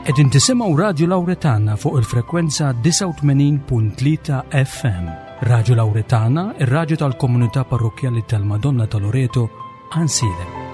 Qegħdin tisimgħu Radju Lawretana fuq il-frekwenza 89.3 FM. Radju Lawretana, ir-radju tal-komunità parrokkjali tal-Madonna ta' Loreto, Ansilem.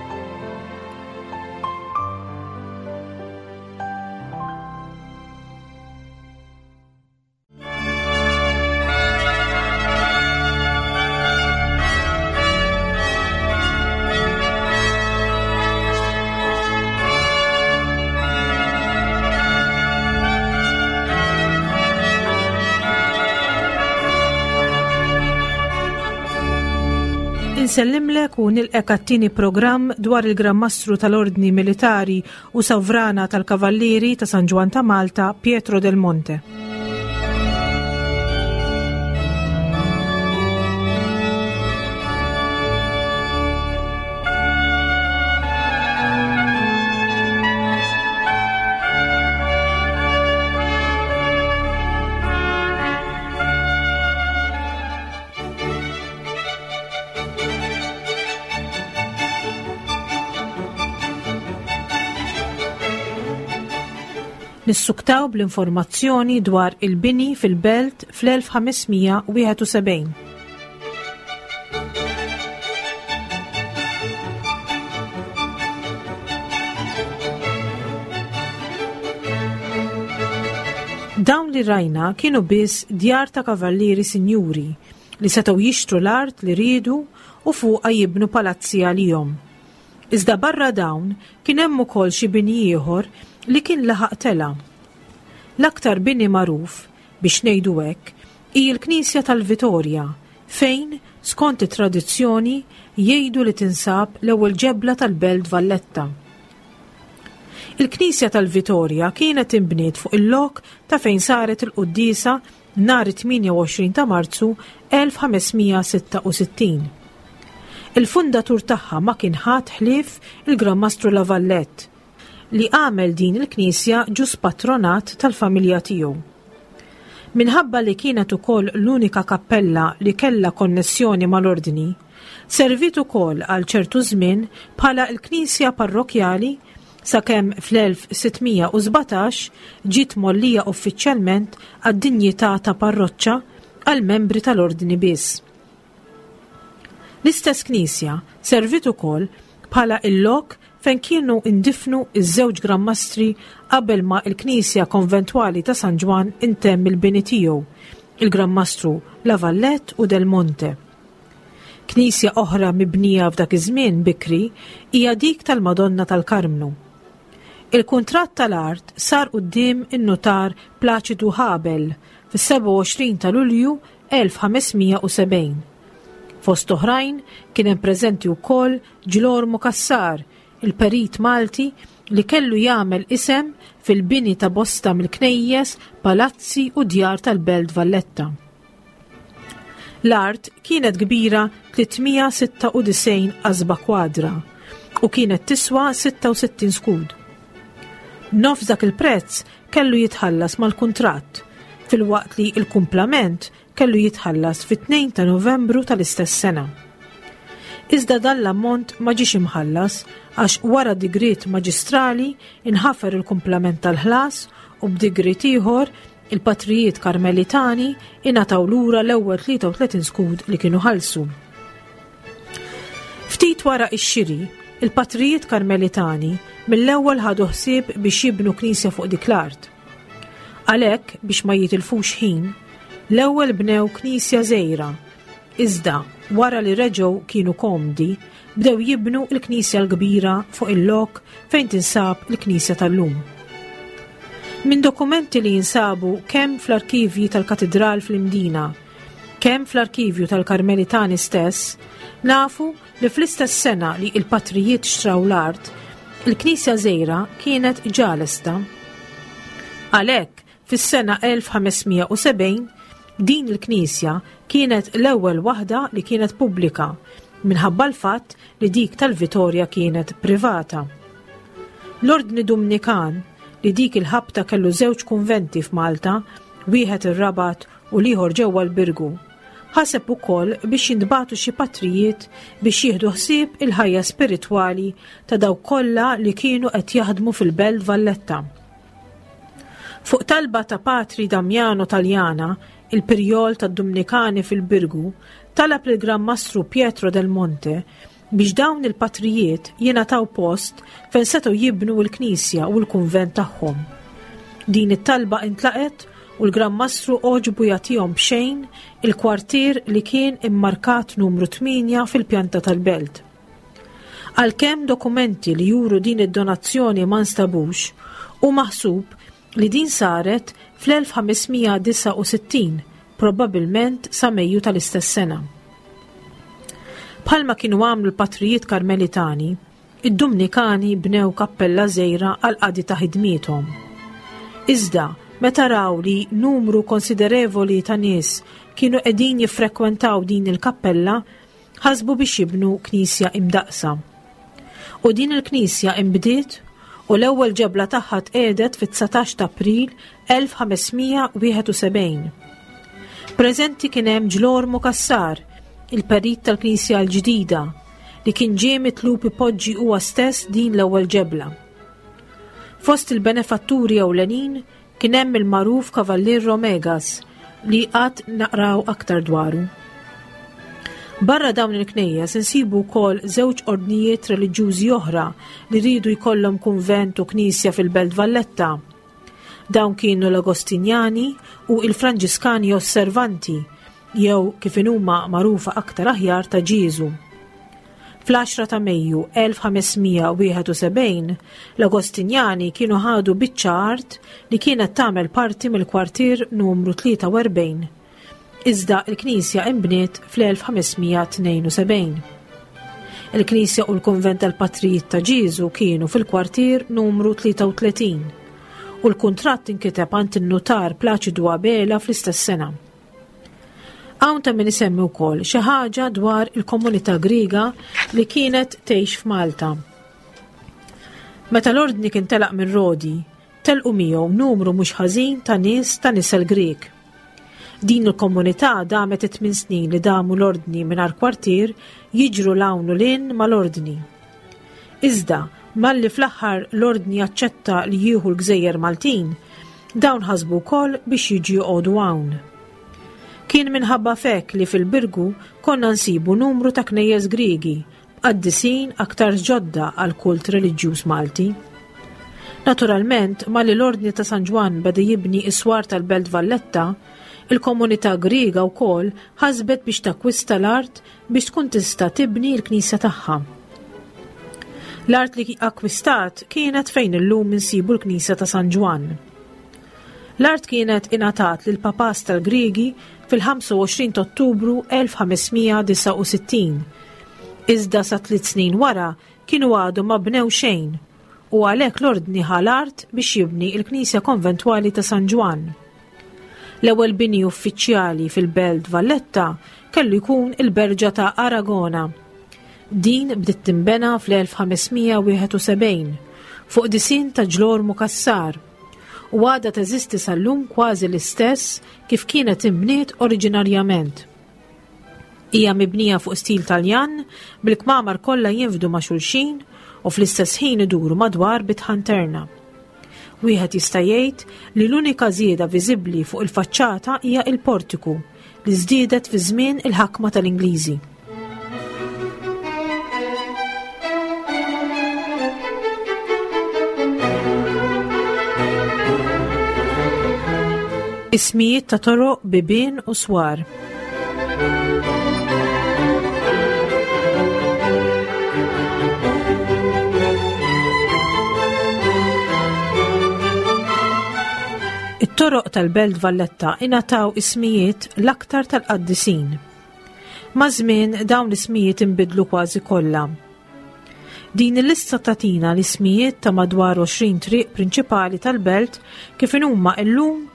Insellimlek u nilqek għat-tieni programm dwar il-Gran Mastru tal-Ordni Militari u Sovrana tal-Kavallieri ta' San Ġwann ta' Malta, Pietro del Monte. Nissuktaw bl-informazzjoni dwar il-bini fil-belt fl-1571. Dawn li rajna kienu biss djar ta' kavallieri sinjuri li setgħu jixtru l-art li riedu u fuqha jibnu palazzi għalihom. Iżda barra dawn kien hemm ukoll xi bini ieħor li kien laħaq tela'. L-aktar bini magħruf, biex ngħidu hekk, hi l-knisja tal-Vitorja fejn, skont it-tradizzjoni, jgħidu li tinsab l-ewwel ġebla tal-Belt Valletta. Il-knisja tal-Vitorja kienet inbniet fuq il-lok ta' fejn saret il-quddiesa nhar it-28 ta' Marzu 1566. Il-fundatur tagħha ma kien ħadd ħlief il-Gran Mastru La Vallette, li għamel din il-knisja ġus patronat tal-familja tiegħu. Minħabba li kienet ukoll l-unika kappella li kellha konnessjoni mal-Ordni, serviet ukoll għal ċertu żmien bħala l-knisja parrokkjali sakemm fl-1617 ġiet mgħollija uffiċjalment għad-dinjità ta' parroċċa għall-membri tal-Ordni biss. L-istess knisja serviet ukoll bħala l-lok fejn kienu ndifnu ż-żewġ Gran Mastri qabel ma l-knisja konventwali ta' San Ġwann intemm il-bini tiegħu, il-Gran Mastru La Vallette u Del Monte. Knisja oħra mibnija f'dak iż-żmien bikri hija dik tal-Madonna tal-Karmnu. Il-kuntratt tal-art sar quddiem in-nutar Plaċidu Habel fis-27 ta' Lulju 1570. Fost oħrajn kien hemm preżenti wkoll Ġlormu Cassar, il-perit Malti li kellu jagħmel isem fil-bini ta' bosta mill-knejjes, palazzi u djar tal-Belt Valletta. L-art kienet kbira 396 qasba kwadra u kienet tiswa 66 skud. Nofs dak il-prezz kellu jitħallas mal-kuntratt, filwaqt li l-kumplament kellu jitħallas fit-2 ta' Novembru tal-istess sena. Iżda dan l-ammont ma ġiex imħallas għax wara digriet maġistrali inħafer il-kumplament tal-ħlas u b'digriet ieħor il-patrijiet Karmelitani ingħataw lura l-ewwel 33 skud li kienu ħallsu. Ftit wara x-xiri, il-patrijiet Karmelitani mill-ewwel ħadu ħsieb biex jibnu knisja fuq dik l-art. Għalhekk, biex ma jitilfux ħin, l-ewwel bnew knisja żgħira, iżda wara li reġgħu kienu komdi, bdew jibnu l-knisja l-kbira fuq il-lok fejn tinsab il-knisja tal-lum. Minn dokumenti li jinsabu kemm fl-arkivji tal-Katidral fl-Imdina, kemm fl-arkivju tal-Karmelitani stess, nafu li fl-istess sena li il-patrijiet xtraw l-art, il-knisja żgħira kienet ġa lesta. Għalhekk, fis-sena 1570, din il-knisja kienet l-ewwel waħda li kienet pubblika minħabba l-fatt li dik tal-Vitorja kienet privata. L-Ordni Dumnikan, li dik il-ħabta kellu żewġ kunventi f'Malta, wieħed ir-Rabat u l-ieħor ġewwa l-Birgu, ħaseb ukoll biex jintbagħtu xi patrijiet biex jieħdu ħsieb il-ħajja spiritwali ta' dawk kollha li kienu qed jaħdmu fil-Belt Valletta. Fuq talba ta' Patri Damiano Taljana, il-Pirjol tad-Dumnikani fil-Birgu, talab lill-Gran Mastru Pietro del Monte biex dawn il-patrijiet jingħataw post fejn setgħu jibnu l-knisja u l-kunvent tagħhom. Din it-talba intlaqet u l-Gran Mastru għoġbu jagħtihom b'xejn il-kwartier li kien immarkat numru 8 fil-pjanta tal-belt. Għalkemm dokumenti li juru din id-donazzjoni ma nstabux, hu maħsub li din saret fl-1569, probbabilment sa Mejju tal-istess sena. Bħalma kienu għamlu l-patrijiet Karmelitani, id-Dumnikani bnew kappella żgħira għall-qadi ta' ħidmiethom. Iżda, meta raw li numru konsiderevoli ta' nies kienu qegħdin jiffrekwentaw din il-kappella, ħasbu biex jibnu knisja imdaqqsa. U din il-knisja inbdiet u l-ewwel ġebla tagħha tqiegħdet fit-19 ta' April 1571. Preżenti kien hemm Ġlormu Cassar, il-perit tal-knisja l-ġdida, li kien ġie mitlub ipoġġi huwa stess din l-ewwel ġebla. Fost il-benefatturi ewlenin Kien hemm il-magħruf Kavallier Romegas li għad naqraw aktar dwaru. Barra dawn il-knejjes insibu wkoll żewġ ordnijiet reliġjużi oħra li riedu jkollhom kunvent u knisja fil-Belt Valletta. Dawn kienu l-Agostinjani u il-Franġiskani Osservanti jew kif inhuma magħrufa aktar aħjar ta' Ġieżu. Fl-10 ta' Mejju 1571, l-Agostinjani kienu ħadu biċċa art li kienet tagħmel parti mill-kwartier numru 43. Iżda l-knisja inbniet fl-1572. Il-knisja u l-kunvent tal-Patrijiet ta' Ġieżu kienu fil-kwartier numru 33 u l-kuntratt inkiteb għand in-nutar Plaċidu Abela fl-istess sena. Hawn ta' min isemmi wkoll xi ħaġa dwar il-komunità Griega li kienet tgħix f'Malta. Meta l-ordni kien telaq minn Rodi, telqu miegħu numru mhux ħażin ta' nies ta' nisel Grieg. Din il-komunità damet it-tmien snin li damu l-ordni mingħajr kwartier jiġru 'l hawn u 'l hinn mal-ordni. Iżda, malli fl-aħħar l-Ordni aċċetta li jieħu l-gżejjer Maltin, dawn ħasbu wkoll biex jiġu joqogħdu hawn. Kien minħabba f'hekk li fil-Birgu konna nsibu numru ta' knejjes Griegi b'qaddisin aktarx ġodda għall-kult reliġjuż Malti. Naturalment, malli l-Ordni ta' San Ġwann beda jibni s-swar tal-Belt Valletta, il-komunità Griega wkoll ħasbet biex takkwista l-art biex tkun tista' tibni l-knisja tagħha. L-art li akkwistat kienet fejn illum insibu l-knisja ta' San Ġwann. L-art kienet ingħatat lil papas tal-Griegi fil-25 ta' Ottubru 1569. Iżda sa tliet snin wara kienu għadu ma bnew xejn u għalhekk l-ordni ħa l-art biex jibni l-knisja konventwali ta' San Ġwann. L-ewwel bini uffiċjali fil-Belt Valletta kellu jkun il-Berġa ta' Aragona. Din bdiet tinbena fl-1571 fuq disinn ta' Ġlormu Cassar u għadha teżisti sal-lum kważi l-istess kif kienet inbniet oriġinarjament. Hija mibnija fuq stil Taljan bil-kmamar kollha jinfdu ma' xulxin u fl-istess ħin iduru madwar bitħa interna. Wieħed jista' jgħid li l-unika żieda viżibbli fuq il-faċċata hija il-portiku li żdiedet fi żmien il-ħakma tal-Ingliżi. Ismijiet ta' toroq, bibien u swar. It-toroq tal-Belt Valletta ingħataw ismijiet l-aktar tal-qaddisin. Maż-żmien dawn l-ismijiet inbidlu kważi kollha. Din il-lista tagħtina l-ismijiet ta' madwar 20 triq prinċipali tal-belt kif inhuma illum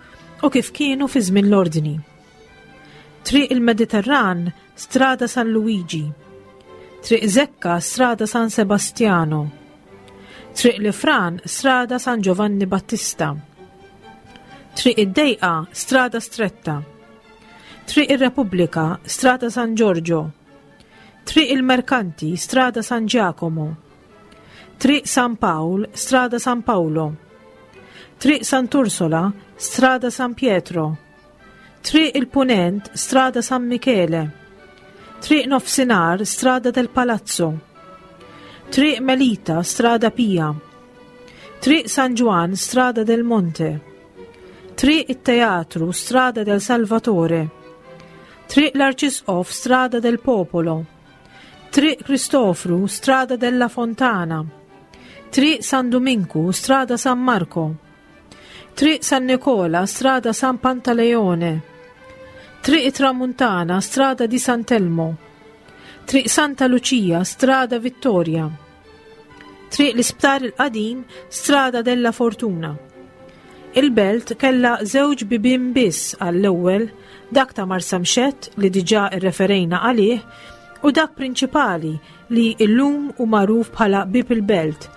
u kif kienu fi żmien l-Ordni. Triq il-Mediterran, Strada San Luigi. Triq Zekka, Strada San Sebastiano. Triq Lifran, Strada San Giovanni Battista. Triq id-Dejqa, Strada Stretta. Triq ir-Repubblika, Strada San Giorgio. Triq il-Merkanti, Strada San Giacomo. Triq San Pawl, Strada San Paolo. Triq Sant'Ursola, Strada San Pietro. Triq il-Punent, Strada San Michele. Triq Nofsinhar, Strada del Palazzo. Triq Melita, Strada Pia. Triq San Ġwann, Strada del Monte. Triq it-Teatru, Strada del Salvatore. Triq l-Arċisqof, Strada del Popolo. Triq Kristofru, Strada della Fontana. Triq San Duminku, Strada San Marco. Triq San Nicola, Strada San Pantaleone. Triq Tramuntana, Strada di Sant'Elmo. Triq Santa Lucia, Strada Vittoria. Triq l-Isptar il-Qadim, Strada della Fortuna. Il-belt kellha żewġ bibien biss għall-ewwel, dak ta' Marsamxett li diġà rreferejna għalih u dak prinċipali li illum hu magħruf bħala Bieb il-Belt,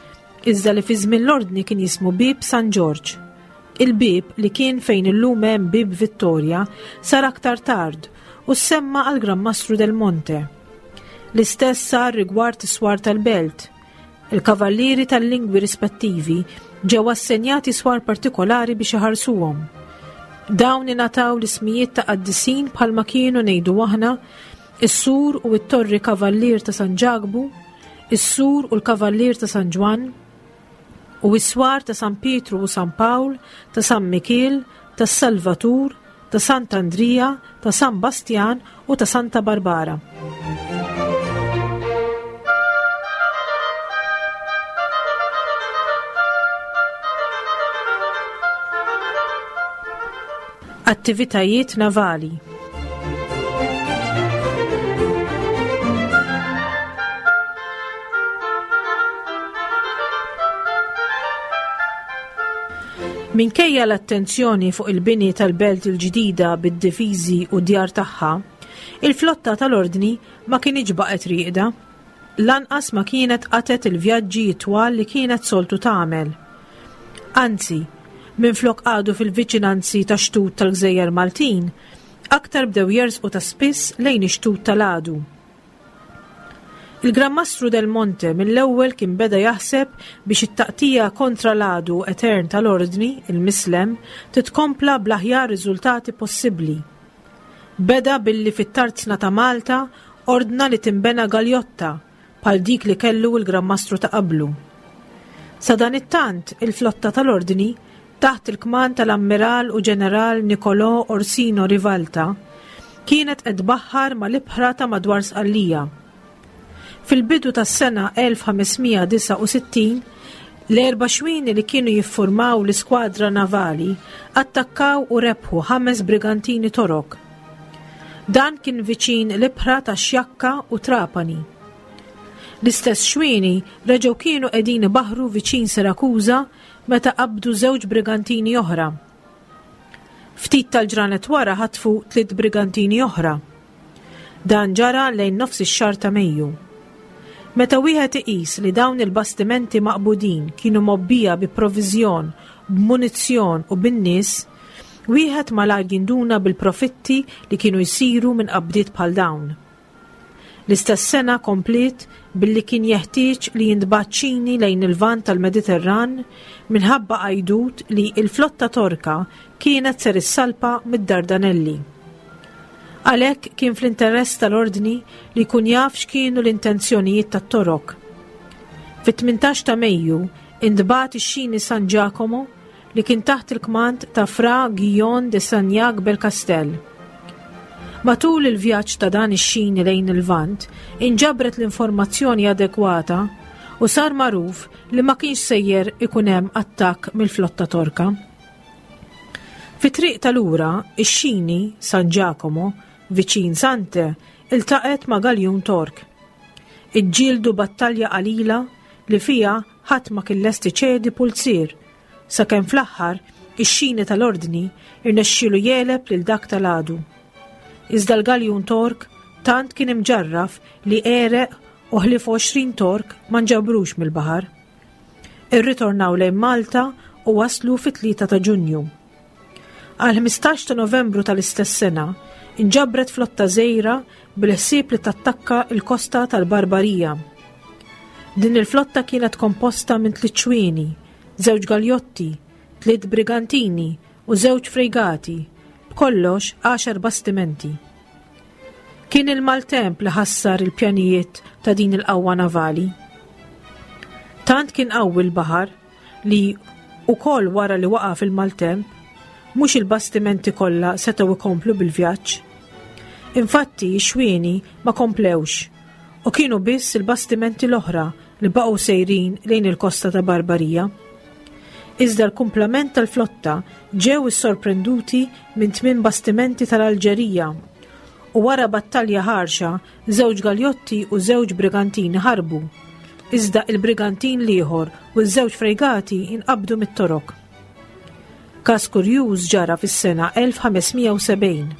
iżda li fi żmien l-Ordni kien jismu Bieb San Ġorġ. Il-bieb li kien fejn illum hemm Bieb Vittoria sar aktar tard u ssemma għal Gran Mastru del Monte. L-istess sar rigward is-swar tal-belt. Il-kavallieri tal-lingwi rispettivi ġew assenjati swar partikolari biex iħarsuhom. Dawn ingħataw l-ismijiet ta' qaddisin bħalma kienu ngħidu aħna is-sur u t-torri kavallier ta' San Ġakbu, is-sur u l-kavallier ta' San Ġwann, u s-swar ta' San Pietru u San Pawl, ta' San Mikiel, tas-Salvatur, ta' Sant'Andrija, ta' San Bastjan u ta' Santa Barbara. Attivitajiet navali. Minkejja l-attenzjoni fuq il-bini tal-belt il-ġdida bid-difiżi u d-djar tagħha, il-flotta tal-Ordni ma kinitx baqgħet rieqda. Lanqas ma kienet qatgħet il-vjaġġi t-twal li kienet soltu tagħmel. Anzi, minflok qagħdu fil-viċinanzi tax-xtut tal-gżejjer Maltin, aktar bdew jersqu ta' spiss lejn ix-xtut tal-għadu. Il-Gran Mastru Del Monte mill-ewwel kien beda jaħseb biex it-taqtija kontra l-għadu etern tal-Ordni, il-Mislem, titkompla bl-aħjar riżultati possibbli. Beda billi fit-tarzna ta' Malta ordna li tinbena galjotta bħal dik li kellu l-Gran Mastru ta' qablu. Sadanittant, il-flotta tal-Ordni taħt il-kmand tal-Ammiral u Ġeneral Nicolò Orsino Rivalta, kienet qed tbaħħar mal-ibħra ta' madwar Sqallija. Fil-bidu tas-sena 1569, l-erba' xwieni li kienu jiffurmaw l-iskwadra navali attakkaw u rebħu ħames brigantini Torok. Dan kien viċin l-ibħra ta' Xjakka u Trapani. L-istess xwieni reġgħu kienu qegħdin ibaħħru viċin Sirakuża meta qabdu żewġ brigantini oħra. Ftit tal-ġranet wara ħatfu tliet brigantini oħra. Dan ġara lejn nofs ix-xahar ta' Mejju. Meta wieħed iqis li dawn il-bastimenti maqbudin kienu mgħobbija bi proviżjon, b'munizzjon u bin-nies, wieħed malajr jinduna bil-profitti li kienu jsiru minn qabdiet bħal dawn. L-istess sena kompliet billi kien jeħtieġ li jintbagħat xini lejn il-Lvant tal-Mediterran minħabba għajdut li l-flotta Torka kienet ser issalpa mid-Dardanelli. Għalhekk kien fl-interess tal-Ordni li jkun jaf x'kienu l-intenzjonijiet tat-Torok. Fit-18 ta' Mejju intbagħat ix-xini San Giacomo li kien taħt il-kmand ta' Fra Guillaume de Sagnac Belcastel. Matul il-vjaġġ ta' dan ix-xini lejn il-Lvant, inġabret l-informazzjoni adekwata u sar magħruf li ma kienx sejjer ikun hemm attakk mill-flotta Torka. Fit-triq ta' lura, ix-xini, San Giacomo, viċin Sante, iltaqgħet ma' galjun Tork. Iġġieldu battalja qalila li fiha Ħadd ma kien lest iċedi pulzier, sakemm fl-aħħar ix-xini tal-Ordni rnexxielu jegħleb lil dak tal-għadu. Iżda l-galjun Tork tant kien imġarraf li għereq u ħlief 20 Tork ma nġabrux mill-baħar. Irritornaw lejn Malta u waslu fit-3 ta' Ġunju. Għall-15 ta' Novembru tal-istess sena, inġabret flotta żgħira bil-ħsieb li tattakka l-kosta tal-Barbarija. Din il-flotta kienet komposta minn tliet xwieni, żewġ galjotti, Tliet brigantini u żewġ frejgati, b'kollox għaxar bastimenti. Kien il-maltemp li ħassar il-pjanijiet ta' din il-qawwa navali. Tant kien qawwi l-baħar li ukoll wara li waqa' fil-maltemp, mhux il-bastimenti kollha setgħu ikomplu bil-vjaġġ. Infatti, x-xwieni ma komplewx u kienu biss il-bastimenti l-oħra li baqgħu sejrin lejn il-kosta ta' Barbarija. Iżda l-kumplament tal-flotta ġew issorprenduti minn tmien bastimenti tal-Alġerija u wara battalja ħarxa żewġ galjotti u żewġ brigantini ħarbu. Iżda il-brigantin l-ieħor u ż-żewġ frejgati inqabdu mit-Torok. Każ kurjuż ġara fis-sena 1570.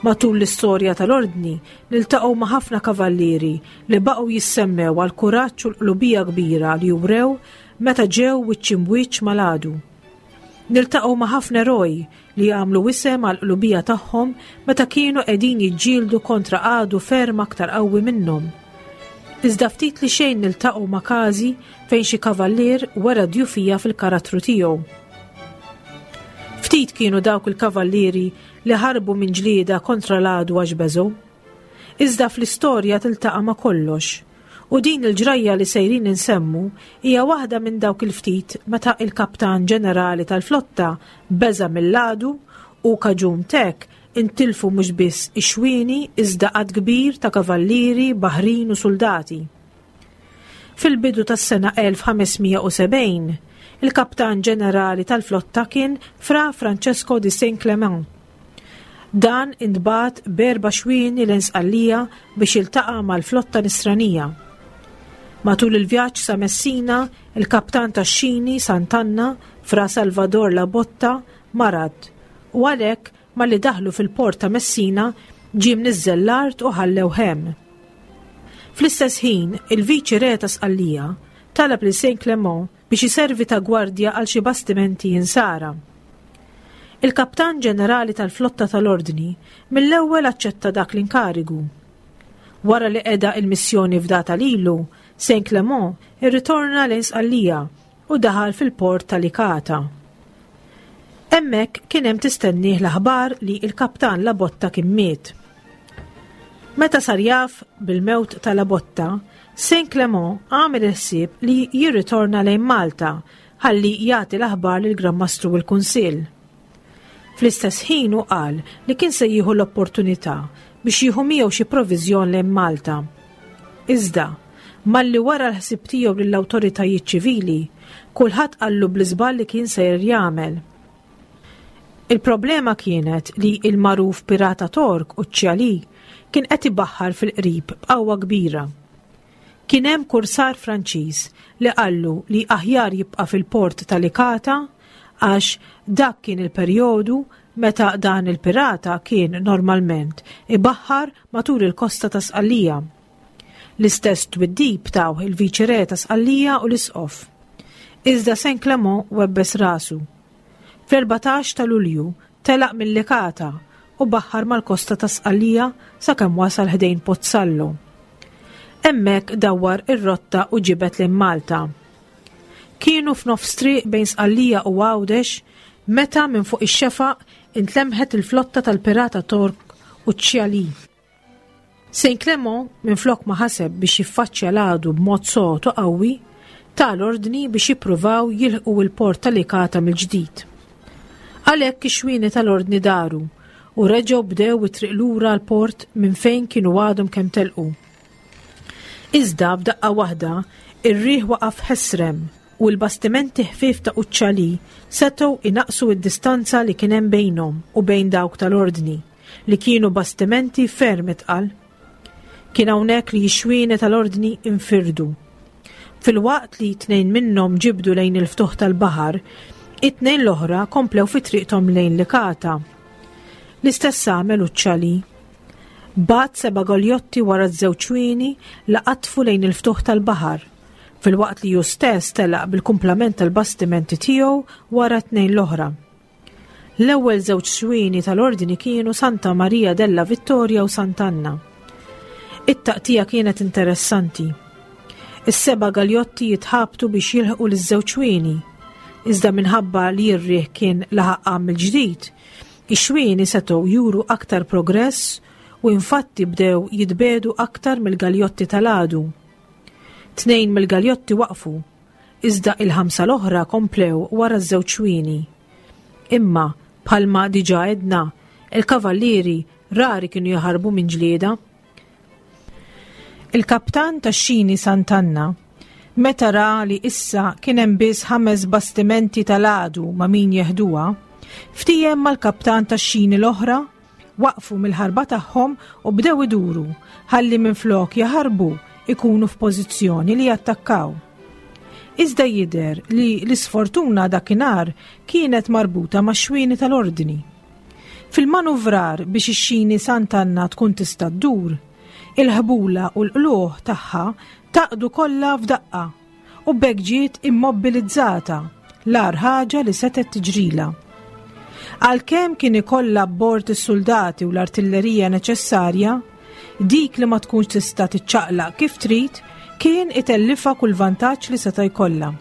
Matul l-istorja tal-Ordni niltaqgħu ma' ħafna kavallieri li baqgħu jissemmew għall-kuraġġ u l-qlubija kbira li wrew meta ġew wiċċ imbwiċċ mal-għadu. Niltaqgħu ma' ħafna eroj li għamlu isem għall-qlubija tagħhom meta kienu qegħdin jiġġieldu kontra għadu ferm aktar qawwi minnhom. Iżda ftit li xejn niltaqgħu ma' każi fejn xi kavallier wera djufija fil-karattru tiegħu. Ftit kienu dawk il-kavallieri li ħarbu minn ġlieda kontra l-għadu għax beżgħu. Iżda fl-istorja tiltaqa' ma' kollox. U din il-ġrajja li sejrin insemmu hija waħda minn dawk il-ftit meta il-kaptan ġenerali tal-flotta beża' mill-għadu u kaġun t'hekk intilfu mhux biss ix-xwieni iżda għadd kbir ta' kavallieri, baħrin u suldati. Fil-bidu tas-sena 1570, il-kaptan ġenerali tal-flotta kien Fra Francesco di Saint-Clément. Dan intbagħat b'erba' xwieni lejn Sqallija biex jiltaqa' mal-flotta Nisranija. Matul il-vjaġġ sa Messina, il-kaptan tax-xini, Sant'Anna, Fra Salvador La Botta, marad u għalhekk malli daħlu fil-port ta' Messina ġie mniżżel l-art u ħallewh hemm. Fl-istess ħin, il-Viċi Re ta' Sqallija talab lil Saint Clement biex iservi ta' gwardja għal xi bastimenti insara. Il-Kaptan Ġenerali tal-Flotta tal-Ordni mill-ewwel aċċetta dak l-inkarigu. Wara li qeda il-missjoni fdata lilu, Saint Clement irritorna lejn Sqallija u daħal fil-port ta' Licata. Hemmhekk kien hemm tistennieh l-aħbar li l-Kaptan Labotta kien miet. Meta sar jaf bil-mewt ta' Labotta, Saint Clement għamel il-ħsieb li jirritorna lejn Malta ħalli jagħti l-aħbar lill-Gran Mastru u l-Kunsill. Fl-istess ħin hu qal li kien se jieħu l-opportunità biex jieħu miegħu xi proviżjon lejn Malta. Iżda, malli wara l-ħsieb tiegħu lill-awtoritajiet ċivili, kulħadd qallu bl-iżball li kien sejjer jagħmel. Il-problema kienet li il-magħruf pirata Tork Ucciali kien qed ibaħħar fil-qrib b'qawwa kbira. Kien hemm kursar Franċiż li qallu li aħjar jibqa' fil-port ta' Licata għax dak kien il-perjodu meta dan il-pirata kien normalment ibaħħar matul il-kosta ta' Sqallija. L-istess twiddib tawh il-Viċi Re ta' Sqallija u l-Isqof. Iżda Saint Clement webbes rasu. Fl-14 ta' Lulju telaq minn Licata u baħħar mal-kosta ta' Sqallija sakemm wasal ħdejn Pozzallo. Hemmhekk dawwar ir-rotta u ġibed lejn Malta. Kienu f'nofs triq bejn Sqallija u Għawdex meta minn fuq ix-xefaq intlemħet il-flotta tal-pirata Tork Uccialì. Saint Clement, minflok ma ħaseb biex jiffaċċja l-għadu b'mod sod u qawwi, ta l-ordni biex jippruvaw jilħqu l-port ta' Licata mill-ġdid. Għalhekk ix-xwieni tal-ordni daru u reġgħu bdew it-triq lura l-port minn fejn kienu għadhom kemm telqu. Iżda f'daqqa waħda, ir-riħ waqaf ħesrem u l-bastimenti ħfief ta' Uccialì setgħu inaqqsu d-distanza li kien hemm bejnhom u bejn dawk tal-ordni. li kienu bastimenti ferm itqal. Kien hawnhekk li x-xwieni tal-Ordni infirdu. Filwaqt li tnejn minnhom ġibdu lejn il-ftuħ tal-baħar, it-tnejn l-oħra komplew fi triqthom lejn Licata. L-istess għamel Uccialì. Bagħat seba' goljotti wara ż-żewġ xwieni li qatfu lejn il-ftuħ tal-baħar, filwaqt li hu stess telaq bil-kumplament tal-bastimenti tiegħu wara t-tnejn l-oħra. L-ewwel żewġ xwieni tal-Ordni kienu Santa Maria della Vittoria u Sant'Anna. It-taqtija kienet interessanti. Is-seba' galjotti jitħabtu biex jilħqu liż-żewġ xwieni. Iżda minħabba li r-riħ kien laħaq qam mill-ġdid, ix-xwieni setgħu juru aktar progress u infatti bdew jitbiegħdu aktar mill-galjotti tal-għadu. Tnejn mill-galjotti waqfu, iżda il-ħamsa l-oħra komplew wara ż-żewġ xwieni. Imma, bħalma diġà għedna, il-kavallieri rari kienu jaħarbu minn ġlieda. Il-kaptan tax-xini Sant'Anna, meta ra li issa kien hemm biss ħames bastimenti tal-għadu ma' min jeħduha, ftiehem mal-kaptan tax-xini l-oħra, waqfu mill-ħarba tagħhom u bdew iduru ħalli minflok jaħarbu ikunu f'pożizzjoni li jattakkaw. Iżda jidher li l-isfortuna dakinhar kienet marbuta max-xwieni tal-Ordni. Fil-manuvrar biex ix-xini Sant'Anna tkun tista' ddur, il-ħbula u l-qlugħ tagħha tgħaqqdu kollha f'daqqa u b'hekk ġiet immobbilizzata, l-agħar ħaġa li setgħet tiġrilha. Għalkemm kien ikollha abbord is-suldati u l-artillerija neċessarja, dik li ma tkunx tista' tiċċaqlaq kif trid kien itellifha kull vantaġġ li seta' jkollha.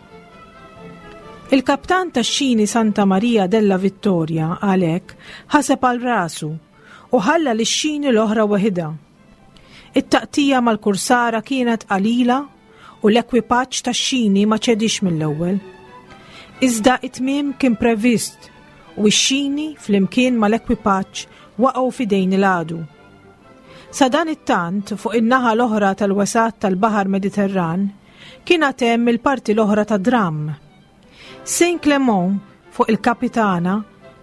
Il-kaptan tax-xini Santa Maria della Vittoria għalhekk ħaseb għal rasu u ħalla lix-xini l-oħra weħidha. It-taqtija mal-kursara kienet qalila u l-ekwipaġġ tax-xini ma ċedix mill-ewwel. Iżda it-tmiem kien previst u x-xini flimkien mal-ekwipaġġ waqgħu f'idejn il-għadu. Sadanittant, fuq in-naħa l-oħra tal-wesgħat tal-Baħar Mediterran, Kien għad hemm il-parti l-oħra tad-dramm. Saint Clement, fuq il-Kapitana,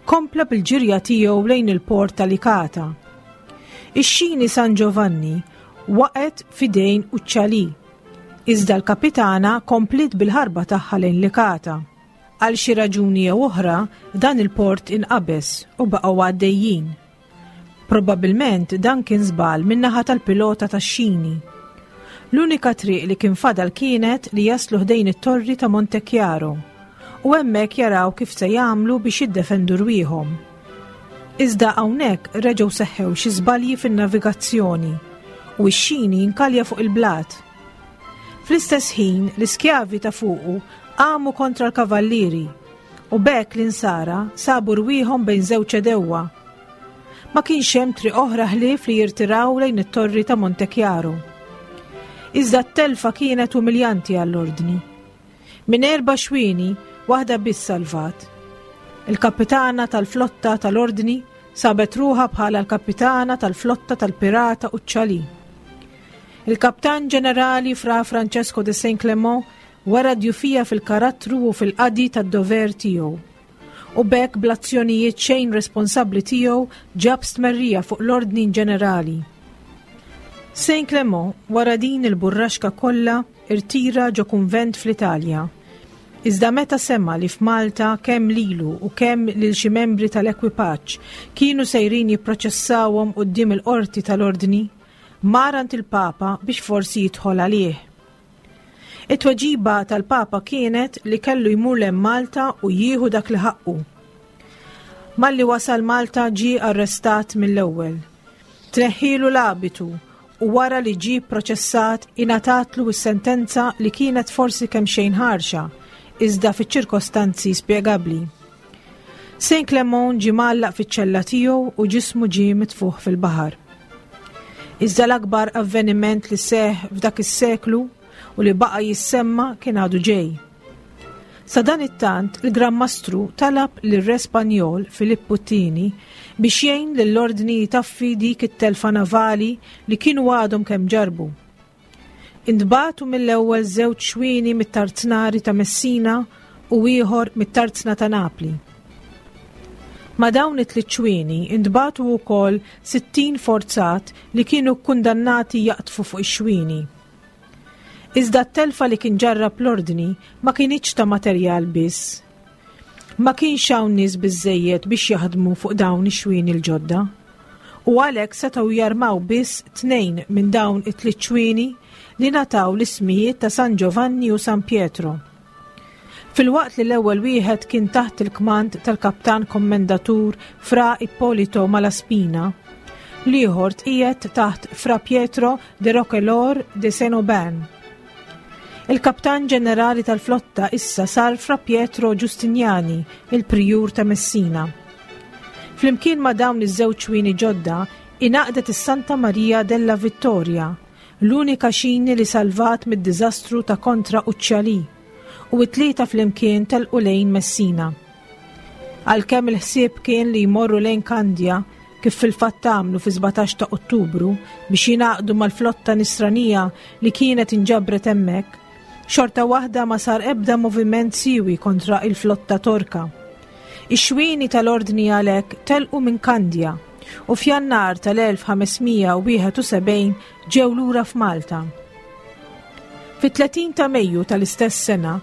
kompla bil-ġirja tiegħu lejn il-port ta' Licata. Ix-xini San Giovanni waqgħet f'idejn Uccialì, iżda l-Kapitana kompliet bil-ħarba tagħha lejn Licata. Għal xi raġuni jew oħra, dan il-port inqabeż u baqgħu għaddejjin. Probabbilment dan kien żball min-naħa tal-pilota tax-xini. L-unika triq li kien fadal kienet li jaslu ħdejn it-torri ta' Montechiaro u hemmhekk jaraw kif se jagħmlu biex jiddefendu rwieħhom. Iżda hawnhekk reġgħu seħħew xi żbalji fin-navigazzjoni u x-xini nkalja fuq il-blat. Fl-istess ħin l-iskjavi ta' fuqu qamu kontra l-kavallieri U b'hekk l-Insara sabu rwieħhom bejn żewġ għedewwa. Ma kienx hemm triq oħra ħlief li jirtiraw lejn it-torri ta' Montechiaro. Iżda t-telfa kienet umiljanti għall-Ordni. Minn erba' xwieni, waħda biss salvat. Il-kapitana tal-flotta tal-Ordni sabet ruħha bħala l-kapitana tal-flotta tal-pirata Uccialì. Il-Kaptan Ġenerali Fra Francesco de Saint Clement Wera djufija fil-karattru u fil-qadi tad-dover tiegħu. U b'hekk bl-azzjonijiet xejn responsabbli tiegħu ġab stmerrija fuq l-ordni ġenerali. Saint Clement, wara din il-burraxka kollha, irtira ġo kunvent fl-Italja. Iżda meta sema' li f'Malta kemm lilu u kemm lil xi membri tal-ekwipaġġ kienu sejrin jipproċessawhom quddiem il-qorti tal-ordni, mar għand il-Papa biex forsi jidħol għalih. It-tweġiba tal-Papa kienet li kellu jmur 'l hemm Malta u jieħu dak li ħaqqu. Malli wasal Malta ġie arrestat mill-ewwel. Tneħħielu l-abitu u wara li ġie pproċessat ingħatatlu s-sentenza li kienet forsi kemxejn ħarxa, iżda fiċ-ċirkostanzi spjegabbli. Saint Clement ġie mgħallaq fiċ-ċella tiegħu u ġismu ġie mitfugħ fil-baħar. Iżda l-akbar avveniment li seħħ f'dak is-seklu u li baqa' jissemma kien għadu ġej. Sadanittant, il-Gran Mastru talab lir-Re Spanjol Filippu t-Tieni biex jgħin lill-Ordni jtaffi dik it-telfa navali li kienu għadhom kemm ġarrbu. Intbagħtu mill-ewwel żewġ xwieni mit-tarznari ta' Messina u ieħor mit-tarzna ta' Napli. Ma' dawn it-tliet xwieni intbagħtu wkoll 60 forzat li kienu kkundannati jaqdfu fuq ix-xwieni. Iżda t-telfa li kien ġarrab l-Ordni ma kinitx ta' materjal biss. Ma kienx hawn nies biżżejjed biex jaħdmu fuq dawn ix-xwieni l-ġodda. U għalhekk setgħu jarmaw biss tnejn minn dawn it-tliet xwieni li ngħataw l-ismijiet ta' San Giovanni u San Pietro. Filwaqt li l-ewwel wieħed kien taħt il-kmand tal-Kaptan Kommendatur Fra Ippolito Malaspina, l-ieħor tqiegħed taħt Fra Pietro de Roquelaure de Saint-Aubin. Il-Kaptan Ġenerali tal-flotta issa sar Fra Pietro Giustiniani, il-Prijur ta' Messina. Flimkien ma' dawn iż-żewġ xwieni ġodda ingħaqdet is-Santa Maria della Vittoria, l-unika xini li salvat mid-diżastru ta' kontra Uccialì, u t-tlieta flimkien telqu lejn Messina. Għalkemm il-ħsieb kien li jmorru lejn Kandja, kif fil-fatt għamlu fi-17 ta' Ottubru biex jingħaqdu mal-flotta nisranija li kienet inġabret hemmhekk, xorta waħda ma sar ebda moviment siewi kontra il-flotta Torka. Ix-xwieni tal-Ordni għalhekk telqu minn Kandja u f'Jannar tal-1571 ġew lura f'Malta. Fit-30 ta' Mejju tal-istess sena,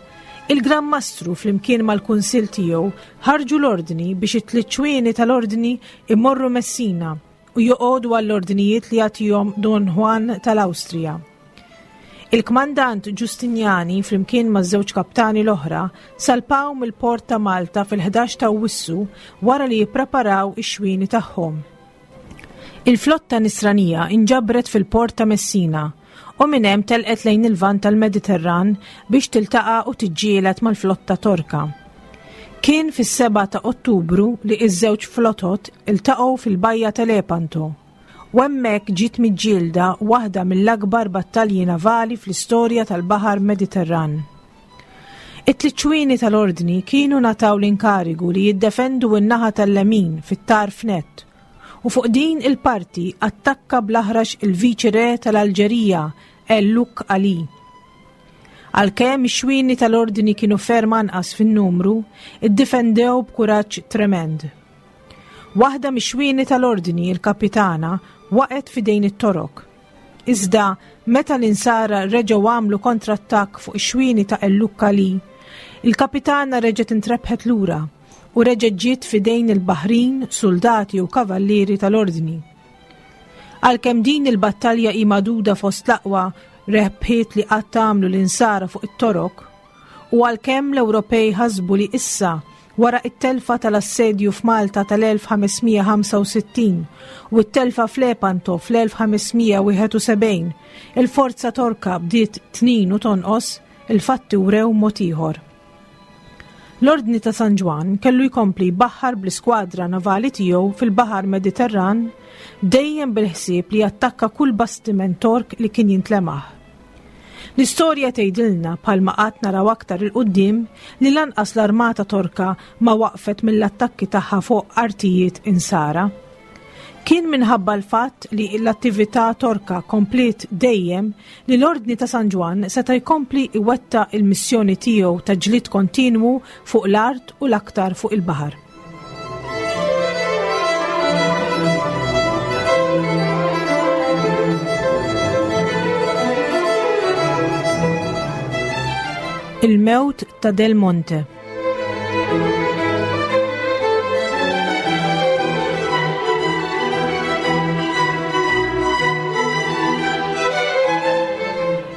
il-Gran Mastru flimkien mal-Kunsill tiegħu ħarġu l-ordni biex it-tliet ċwieni tal-Ordni imorru Messina u joqogħdu għall-ordnijiet li jagħtihom Don Juan tal-Awstrija. Il-kmandant Ġustinjani flimkien maż-żewġ kaptani l-oħra salpaw mill-port ta' Malta fil-11 ta' Awwissu wara li jippreparaw ix-xwieni tagħhom. Il-flotta Nisranija inġabret fil-port ta' Messina u minn hemm telqet lejn il-Lvant tal-Mediterran biex tiltaqa' u tiġġieled mal-flotta Torka. Kien fis-7 ta' Ottubru li ż-żewġ flotot iltaqgħu fil-bajja ta' Lepanto u hemmhekk ġiet miġġielda waħda mill-akbar battalji navali fl-istorja tal-Baħar Mediterran. It-tliet ċwieni tal-Ordni kienu ngħataw l-inkarigu li jiddefendu n-naħa tal-lemin fit-tarf nett u fuq din il-parti attakka bl-aħrax il-Viċi Re tal-Alġerija El Luk Ali. Għalkemm ix-xwieni tal-Ordni kienu ferm anqas fin-numru, iddefendew b'kuraġġ tremend. Waħda mix-xwieni tal-Ordni, il-Kapitana, waqgħet f'idejn it-Torok. Iżda, meta l-Insara reġgħu għamlu kontrattakk fuq ix-xwieni ta' El Luk Ali, il-Kapitana reġgħet intrebħet lura u reġgħet ġiet f'idejn il-baħrin, suldati u kavallieri tal-Ordni. Għalkemm din il-battalja hi magħduda fost l-aqwa rebħiet li qatt għamlu l-Insara fuq it-Torok, u għalkemm l-Ewropej ħasbu li issa, wara t-telfa tal-assedju f'Malta tal-1565 u t-telfa f'Lepanto fl-1571, il-forza Torka bdiet tnin u tonqos, il-fatti wrew mod ieħor. L-Ordni ta' San Ġwann kellu jkompli jbaħħar bl-iskwadra navali tiegħu fil-Baħar Mediterran dejjem bil-ħsieb li jattakka kull bastiment Tork li kien jintlemaħ. L-istorja tgħidilna bħalma qatt naraw aktar 'il quddiem li lanqas l-armata Torka ma waqfet mill-attakki tagħha fuq artijiet Insara. Kien minħabba l-fatt li l-attività Torka kompliet dejjem li l-Ordni ta' San Ġwann seta' jkompli jwettaq il-missjoni tiegħu ta' ġlied kontinwu fuq l-art u l-aktar fuq il-baħar. Il-mewt ta' Del Monte.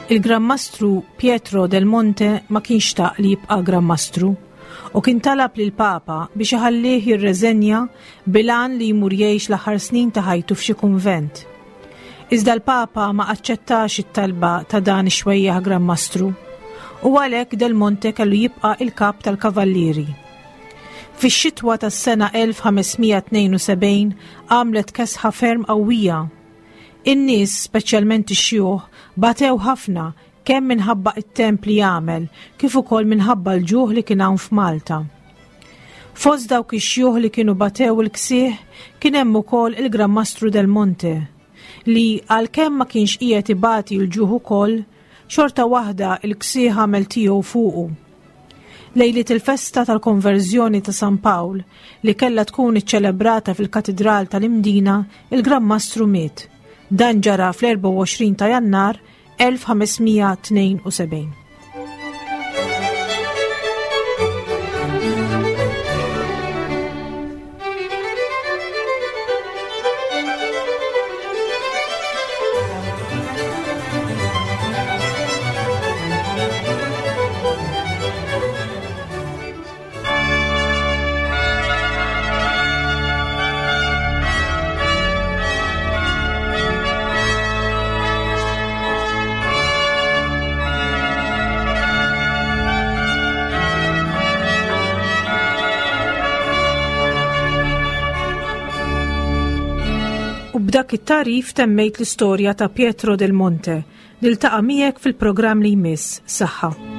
Il-Gran Mastru Pietro del Monte ma kienx xtaq li jibqa' Gran Mastru u kien talab lil Papa biex iħallih jirreżenja bilan li jmur jgħix l-aħħar snin ta' ħajtu f'xi kunvent. Iżda l-Papa ma aċċettax it-talba ta' dan ix-xwejjaħ Gran Mastru u għalhekk Del Monte kellu jibqa' il-kap tal-Kavallieri. Fix-xitwa tas-sena 1572 għamlet kesħa ferm qawwija. In-nies, speċjalment ix-xjuħ, batew ħafna kemm minħabba it-temp li għamel kif ukoll minħabba l-ġuħ li kien hawn f'Malta. Fost dawk ix-xjuħ li kienu batew il-ksieħ kien hemm ukoll il-Gran Mastru Del Monte, li għalkemm ma kienx qiegħed ibati l-ġuħ ukoll, xorta waħda l-ksieħ għamel tiegħu fuqu. Lejliet il-festa tal-konverżjoni ta' San Pawl, li kellha tkun iċċelebrata fil-Katidral tal-Imdina, il-Gran Mastru miet. Dan ġara fl-24 ta' Jannar 1572. B'dak it-tagħrif temmejt l-istorja ta' Pietro del Monte. Niltaqa' miegħek fil-programm li jmiss. Saħħa.